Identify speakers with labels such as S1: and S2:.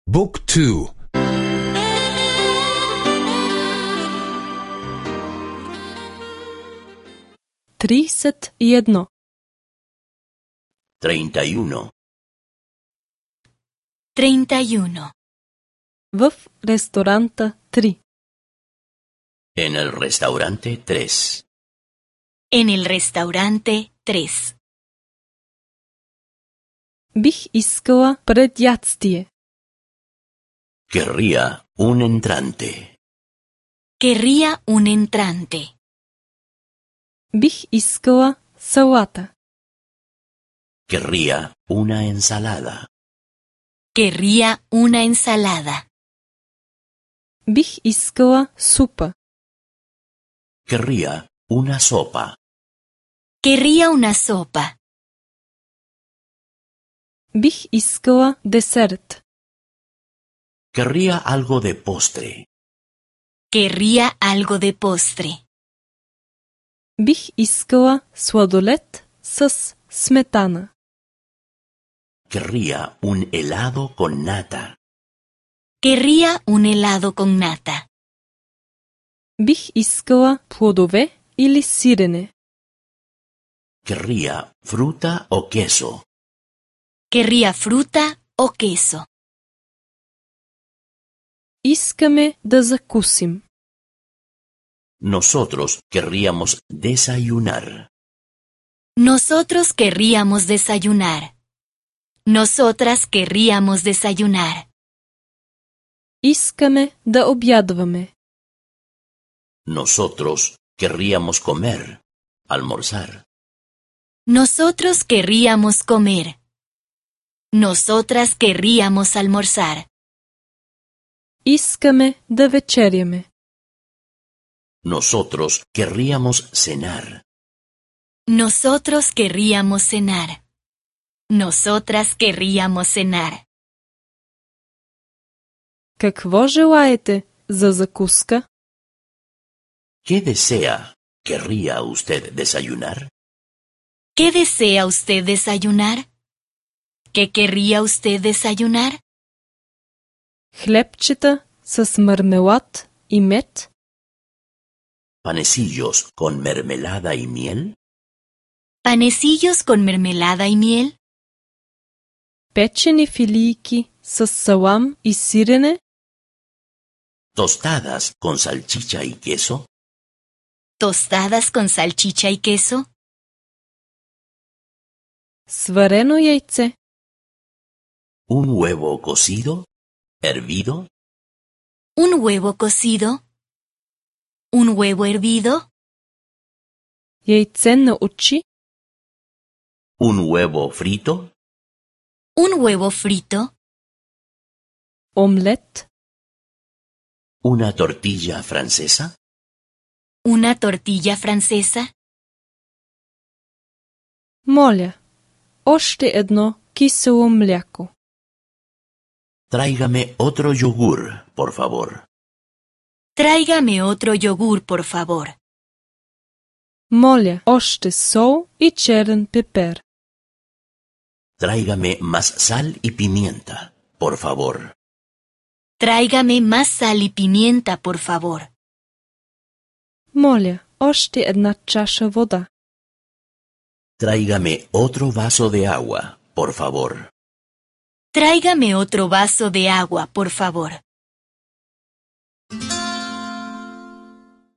S1: Book 2.
S2: 31.
S3: 31.
S4: 31.
S2: В ресторанта 3.
S3: En el restaurante 3.
S4: En el restaurante 3.
S2: Бих искала предядстие.
S3: Querría un entrante.
S4: Querría un entrante.
S2: Бих искала салата.
S3: Querría una ensalada.
S4: Querría una ensalada.
S2: Бих искала супа.
S3: Querría una sopa.
S4: Querría una sopa.
S2: Бих искала десерт.
S3: Querría algo de postre.
S4: Querría algo de postre.
S2: Бих искала сладолед с сметана.
S3: Querría un helado con nata.
S4: Querría un helado con nata.
S2: Бих искала плодове или сирене.
S3: Querría fruta o queso.
S4: Querría fruta o queso.
S2: Искаме да закусим.
S3: Nosotros querríamos desayunar.
S4: Nosotros querríamos desayunar. Nosotras querríamos desayunar.
S2: Искаме да обядваме.
S3: Nosotros querríamos comer, almorzar.
S4: Nosotros querríamos comer. Nosotras querríamos almorzar.
S2: Искаме да вечеряме.
S3: Nosotros querríamos cenar.
S4: Nosotros querríamos cenar. Nosotras querríamos cenar.
S2: Какво желаете за закуска?
S3: ¿Qué desea? ¿Querría usted desayunar?
S4: ¿Qué desea usted desayunar? ¿Qué querría usted desayunar?
S2: Хлебчета с мармелад и мед?
S3: ¿Panecillos con mermelada y miel?
S4: ¿Panecillos con mermelada y miel?
S2: Печени филийки с салам и сирене?
S3: ¿Tostadas con salchicha y queso?
S4: ¿Tostadas con salchicha y queso?
S2: Сварено яйце?
S3: ¿Un huevo cocido? ¿Hervido?
S4: ¿Un huevo cocido? ¿Un huevo hervido?
S2: Яйце на очи?
S3: ¿Un huevo frito?
S4: ¿Un huevo frito?
S2: Омлет?
S3: ¿Una tortilla francesa?
S4: ¿Una tortilla francesa?
S2: Моля, още едно кисело мляко.
S3: Tráigame otro yogur, por favor.
S4: Tráigame otro yogur, por favor.
S2: Моля, още сол и черен пепер.
S3: Tráigame más sal y pimienta, por favor.
S4: Tráigame más sal y pimienta, por favor.
S2: Моля, още една чаша вода.
S3: Tráigame otro vaso de agua, por favor.
S4: Tráigame otro vaso de agua, por favor.